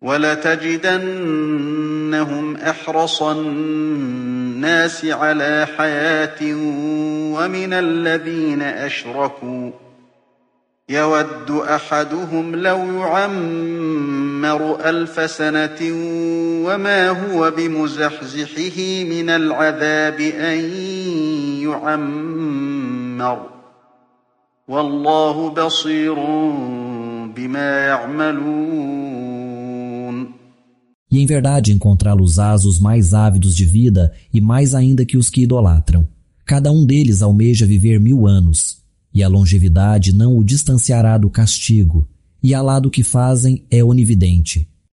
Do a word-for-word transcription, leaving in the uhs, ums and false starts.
وَلَتَجِدَنَّهُمْ أَحْرَصَ النَّاسِ عَلَىٰ حَيَاةٍ وَمِنَ الَّذِينَ أَشْرَكُوا يَوَدُّ أَحَدُهُمْ لَوْ يُعَمَّرُ أَلْفَ سَنَةٍ وَمَا هُوَ بِمُزَحْزِحِهِ مِنَ الْعَذَابِ أَن يُعَمَّرَ ۗ وَاللَّهُ بَصِيرٌ بِمَا يَعْمَلُونَ. E em verdade encontrá-los-ás os mais ávidos de vida e mais ainda que os que idolatram. Cada um deles almeja viver mil anos, e a longevidade não o distanciará do castigo, e Alá do que fazem é onividente.